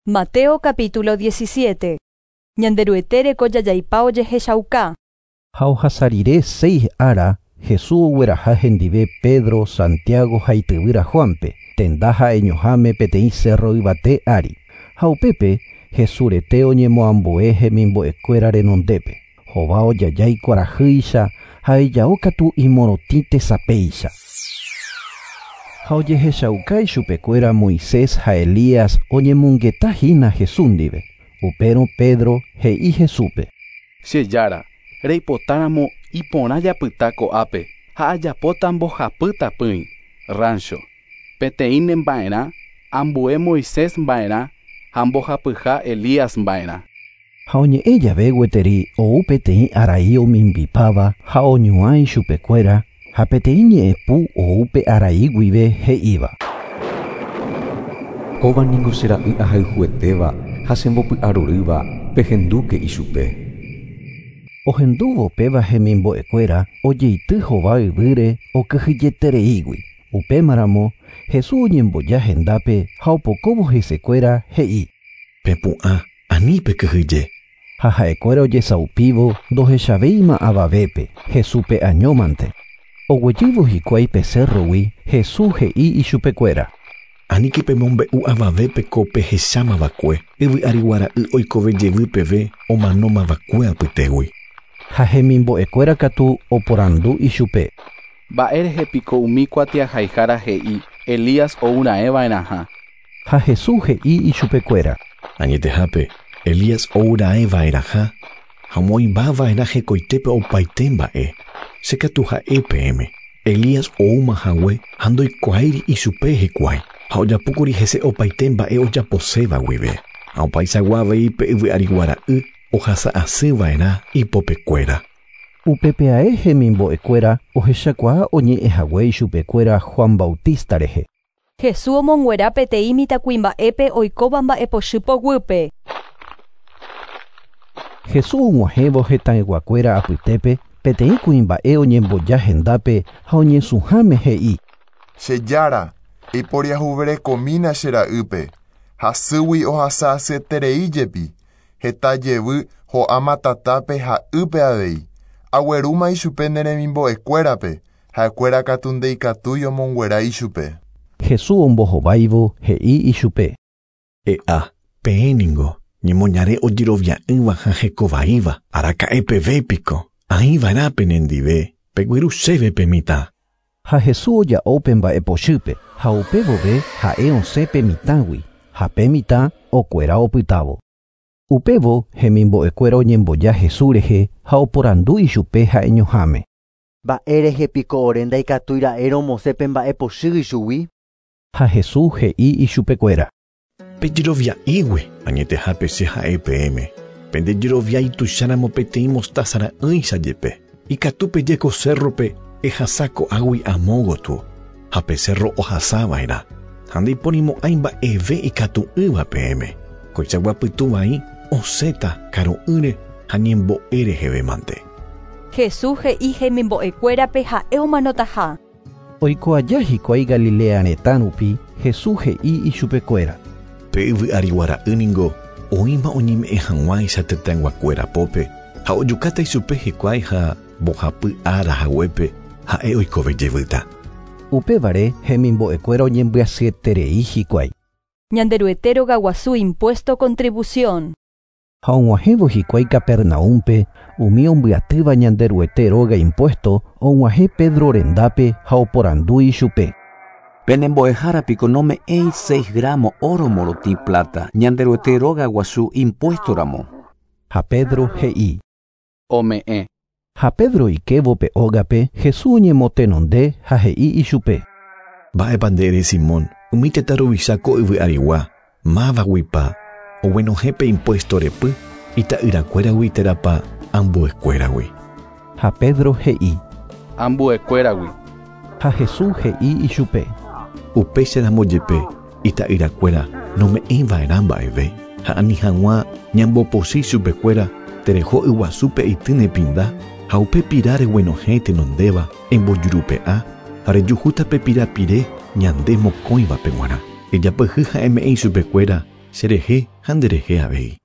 Mateo capítulo 17. Ñanderuete reko jajaipa ojehechauka. Ha ohasa rire seis ára, Jesús ogueraha hendive Pedro, Santiago ha ityvýra Juanpe, tenda ha'eñoháme peteĩ cerro yvate ári. Ha upépe Jesús rete oñemoambue hemimbo'ekuéra renondépe. Hova ojajái kuarahýicha ha ijao katu imorotĩ tesapéicha. Ha ojehechauka ichupekuéra Moisés ha Elías oñemongeta hína Jesús ndive. Upérõ Pedro he'i Jesúspe. Che Jára, reipotáramo iporã japyta ko'ápe ha ajapóta mbohapy tapỹi, rancho. Peteĩ nemba'erã, ambue Moisés mba'erã ha mbohapyha Elías mba'erã. Ha oñe'ẽ jave gueteri ou peteĩ arai omimbipáva ha oñuã ichupekuéra ha peteĩ ñe'ẽpu ou pe arai guive he'íva. Kóva ningo che ra'y ahayhuetéva ha chembopy'arorýva pehendúke ichupe. Ohendúvo péva hemimbo'ekuéra ojeity hova yvýre okyhyjetereígui. Upémaramo Jesús oñemboja hendápe ha opokóvo hesekuéra he'i. Pepu'ã, ani pekyhyje. Ha ha'ekuéra ojesaupívo ndohechavéima avavépe, Jesúspe añómante. Oguejývo hikuái pe cerrogui, Jesús he'i ichupekuéra. Aníke pemombe'u avavépe ko pehechámava'ekue, yvy arigua ra'y oikove jevy peve omanómava'ekue apytégui. Ha hemimbo'ekuéra katu oporandu ichupe. Mba'érehe piko umi kuatiahaihára he'i Elías ouraẽva'erãha. Ha Jesús he'i ichupekuéra. Añetehápe, Elías ouraẽva'erãha ha omoĩmbava'erã hekoitépe opaite mba'e. Che katu ha'e peẽme. Elías oúma hague ha ndoikuaáiri ichupe hikuái ha ojapókuri hese opaite mba'e ojaposéva guive. Ha opaichagua avei pe yvy arigua ra'y ohasa'asýva'erã ipopekuéra. Upépe ae hemimbo'ekuéra ohechakuaa oñe'ẽhague ichupekuéra Juan Bautista rehe. Jesús omonguera peteĩ mitãkuimba'épe oikóva mba'epochy poguýpe. Jesús og̃uahẽvo hetãyguakuéra apytépe peteĩ kuimba'e oñemboja hendápe ha oñesũháme he'i. Che Jára, eiporiahuverekomína che ra'ýpe, hasýgui ohasa'asyeterei jepi, heta jevy ho'áma tatápe ha ýpe avei. Aguerúma ichupe ne remimbo'ekuérape, ha'ekuéra katu ndeikatúi omonguera ichupe. Jesús ombohováivo he'i ichupe. E'a, peẽ ningo, ñemoñare ojerovia'ỹva ha hekovaíva, araka'e peve piko, aĩva'erã penendive, pegueru chéve pe mitã. Ha Jesús oja'o pe mba'epochýpe ha upe vove ha'e osẽ pe mitãgui ha pe mitã okuera opytávo. Upévo hemimbo'ekuéra oñemboja Jesús rehe ha oporandu ichupe ha'eñoháme. Mba'érehe piko ore ndaikatúi ra'e romosẽ pe mba'epochy ichugui. Ha Jesús he'i ichupekuéra. Pejerovia'ígui añetehápe che ha'e peẽme. Pendejerovia ituicháramo peteĩ mostaza ra'ỹicha jepe. Ikatu peje ko cerrope ehasa ko'águi amo gotyo ha pe cerro ohasava'erã. Ha ndaiporimo'ãi mba'eve ikatu'ỹva peẽme. Koichagua pytu vai osẽta karu'ỹre ha ñembo'e reheve mante. Jesús he'i hemimbo'ekuérape ha'e omanotaha. Oiko aja hikuái Galilea retã rupi, Jesús he'i ichupekuéra. Pe yvy arigua ra'y ningo oĩma oñeme'ẽ hag̃uáicha tetãyguakuéra pópe ha ojukáta ichupe hikuái ha mbohapy ára haguépe ha'e oikove jevýta. Upévare hemimbo'ekuéra oñembyasyeterei hikuái. Ñanderuete rogaguasu impuesto contribución. Ha og̃uahẽvo hikuái Capernaúmpe umi ombyatýva Ñanderuete róga impuesto og̃uahẽ Pedro rendápe ha oporandu ichupe. Penembo'ehára piko nome'ẽi 6 gramo oro morotĩ plata Ñanderuete róga guasu impuesto ramo. Ha Pedro he'i. Ome'ẽ. Ha Pedro oikévo pe ógape Jesús oñemotenonde ha he'i ichupe. Mba'épa nde ere Simón, umi tetã ruvicha ko yvy arigua, mávaguipa oguenohẽ pe impuesto repy ita'yrakuéragui térãpa ambuekuéragui. Ha Pedro he'i. Ambuekuéragui. Ha Jesús he'i ichupe. Upéicharamo jepe ita'yrakuéra nome'ẽiva'erã mba'eve ha ani hag̃ua ñambopochy chupekuéra tereho yguasúpe eity ne pinda ha upe pira reguenohẽ tenondéva embojurupe'a ha rejuhúta pe pirapire ñande mokõivape g̃uarã. Ejapyhy ha eme'ẽ ichupekuéra cherehe Ha nderehe avei.